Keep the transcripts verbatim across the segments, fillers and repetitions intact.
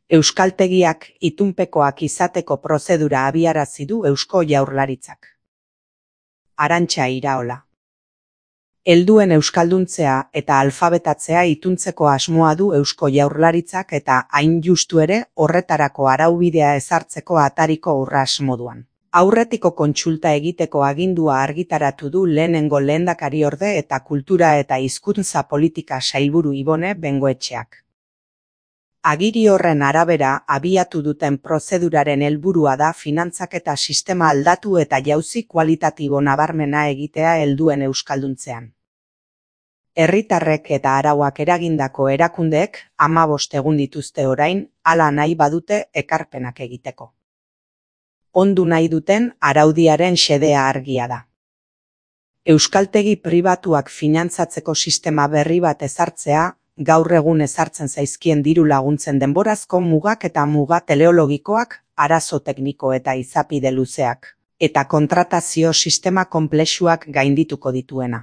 Euskaltegiak itunpekoak izateko prozedura abiarazi du Eusko Jaurlaritzak. Arantxa Iraola. Helduen euskalduntzea eta alfabetatzea ituntzeko asmoa du Eusko Jaurlaritzak eta hain justu ere horretarako araubidea ezartzeko atariko urras moduan. Aurretiko kontsulta egiteko agindua argitaratu du lehenengo lehendakariorde eta kultura eta hizkuntza politika sailburu Ibone Bengoetxeak. Agiri horren arabera abiatu duten prozeduraren helburua da finantzaketa sistema aldatu eta jauzi kualitatibo nabarmena egitea helduen euskalduntzean. Herritarrek eta arauak eragindako erakundeek hamabost egun dituzte orain, hala nahi badute ekarpenak egiteko. Ondu nahi duten araudiaren xedea argia da. Euskaltegi pribatuak finantzatzeko sistema berri bat ezartzea, gaur egun ezartzen zaizkien diru laguntzen denborazko mugak eta muga teleologikoak, arazo tekniko eta izapide luzeak, eta kontratazio sistema konplexuak gaindituko dituena.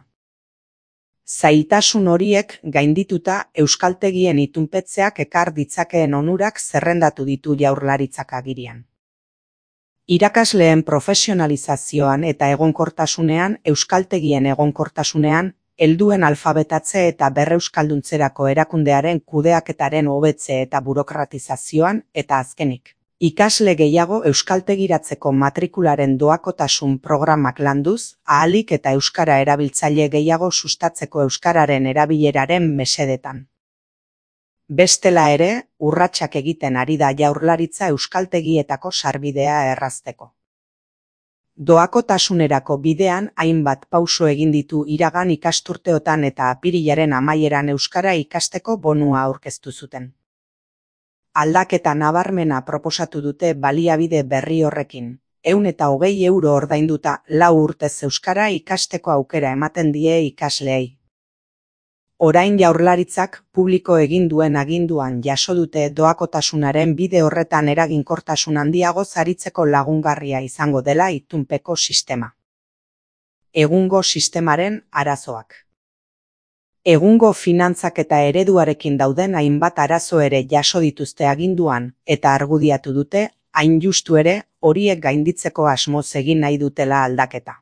Zailtasun horiek gaindituta euskaltegien itunpetzeak ekar ditzakeen onurak zerrendatu ditu Jaurlaritzak agirian. Irakasleen profesionalizazioan eta egonkortasunean, euskaltegien egonkortasunean, helduen alfabetatze eta berreuskalduntzerako erakundearen kudeaketaren hobetze eta burokratizazioan, eta azkenik, ikasle gehiago euskaltegiratzeko matrikularen doakotasun programak landuz, ahalik eta euskara erabiltzaile gehiago sustatzeko euskararen erabileraren mesedetan. Bestela ere, urratsak egiten ari da Jaurlaritza euskaltegietako sarbidea errazteko. Doakotasunerako bidean hainbat pauso egin ditu iragan ikasturteotan eta apirilaren amaieran euskara ikasteko bonua aurkeztu zuten. Aldaketa nabarmena proposatu dute baliabide berri horrekin, ehun eta hogei euro ordainduta lau urtez euskara ikasteko aukera ematen die ikasleei. Orain Jaurlaritzak publiko egin duen aginduan jaso dute doakotasunaren bide horretan eraginkortasun handiago aritzeko lagungarria izango dela itunpeko sistema. Egungo sistemaren arazoak. Egungo finantzak eta ereduarekin dauden hainbat arazo ere jaso dituzte aginduan eta argudiatu dute, hain justu ere, horiek gainditzeko asmoz egin nahi dutela aldaketa.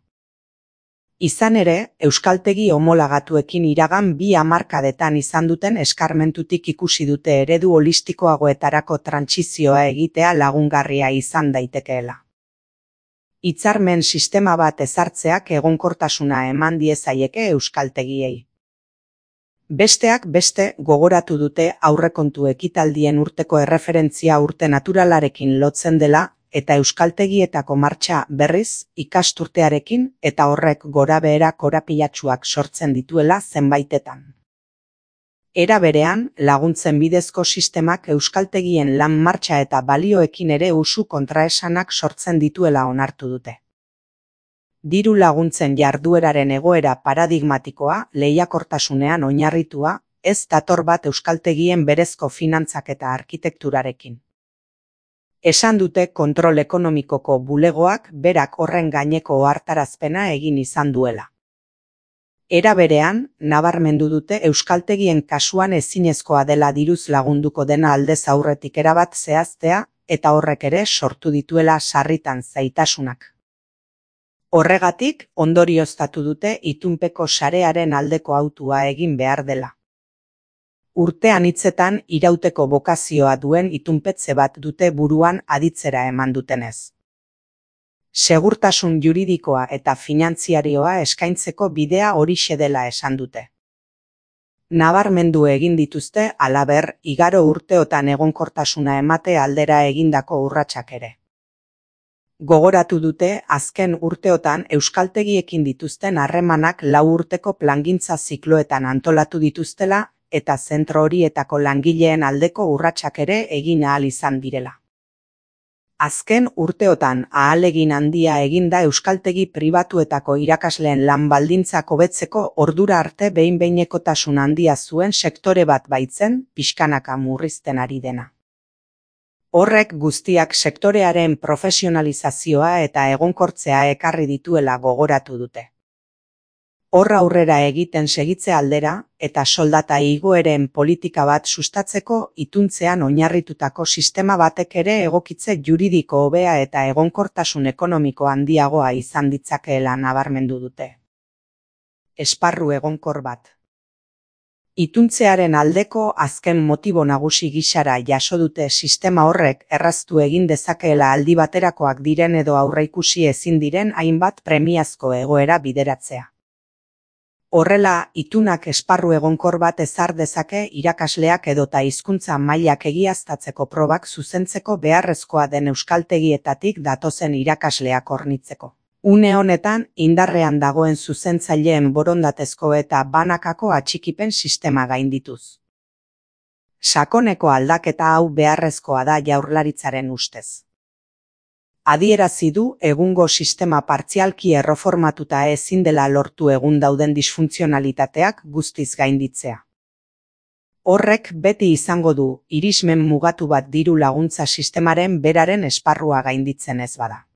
Izan ere, euskaltegi homologatuekin iragan bi hamarkadetan izan duten eskarmentutik ikusi dute eredu holistikoagoetarako trantsizioa egitea lagungarria izan daitekeela. Hitzarmen sistema bat ezartzeak egonkortasuna eman diezaieke euskaltegiei. Besteak beste gogoratu dute aurrekontu ekitaldien urteko erreferentzia urte naturalarekin lotzen dela, eta euskaltegietako martxa berriz ikasturtearekin eta horrek gorabehera korapilatsuak sortzen dituela zenbaitetan. Era berean, laguntzen bidezko sistemak euskaltegien lan martxa eta balioekin ere usu kontraesanak sortzen dituela onartu dute. Diru laguntzen jardueraren egoera paradigmatikoa, lehiakortasunean oinarritua, ez dator bat euskaltegien berezko finantzak eta arkitekturarekin. Esan dute kontrol ekonomikoko bulegoak berak horren gaineko ohartarazpena egin izan duela. Era berean, nabarmendu dute euskaltegien kasuan ezinezkoa dela diruz lagunduko dena aldez aurretik erabat zehaztea eta horrek ere sortu dituela sarritan zaitasunak. Horregatik, ondorioztatu dute itunpeko sarearen aldeko hautua egin behar dela. Urtean hitzetan irauteko bokazioa duen itunpetze bat dute buruan aditzera eman dutenez. Segurtasun juridikoa eta finantziarioa eskaintzeko bidea horixe dela esan dute. Nabarmendu egin dituzte halaber igaro urteotan egonkortasuna emate aldera egindako urratsak ere. Gogoratu dute azken urteotan euskaltegiekin dituzten harremanak lau urteko plangintza zikloetan antolatu dituztela eta zentro horietako langileen aldeko urratsak ere egin ahal izan direla. Azken urteotan ahalegin handia eginda euskaltegi pribatuetako irakasleen lan baldintzak hobetzeko ordura arte behin-behinekotasun handia zuen sektore bat baitzen pixkanaka murrizten ari dena. Horrek guztiak sektorearen profesionalizazioa eta egonkortzea ekarri dituela gogoratu dute. Hor aurrera egiten segitze aldera, eta soldata igoeren politika bat sustatzeko ituntzean oinarritutako sistema batek ere egokitze juridiko hobea eta egonkortasun ekonomiko handiagoa izan ditzakeela nabarmendu dute. Esparru egonkor bat. Ituntzearen aldeko azken motibo nagusi gisara jaso dute sistema horrek erraztu egin dezakeela aldi baterakoak diren edo aurreikusi ezin diren hainbat premiazko egoera bideratzea. Horrela, itunak esparru egonkor bat ezar dezake irakasleak edota hizkuntza mailak egiaztatzeko probak zuzentzeko beharrezkoa den euskaltegietatik datozen irakasleak hornitzeko. Une honetan, indarrean dagoen zuzentzaileen borondatezko eta banakako atxikipen sistema gaindituz. Sakoneko aldaketa hau beharrezkoa da Jaurlaritzaren ustez. Adierazi du egungo sistema partzialki erreformatuta ezin dela lortu egun dauden disfuntzionalitateak guztiz gainditzea. Horrek beti izango du irismen mugatu bat diru laguntza sistemaren beraren esparrua gainditzen ez bada.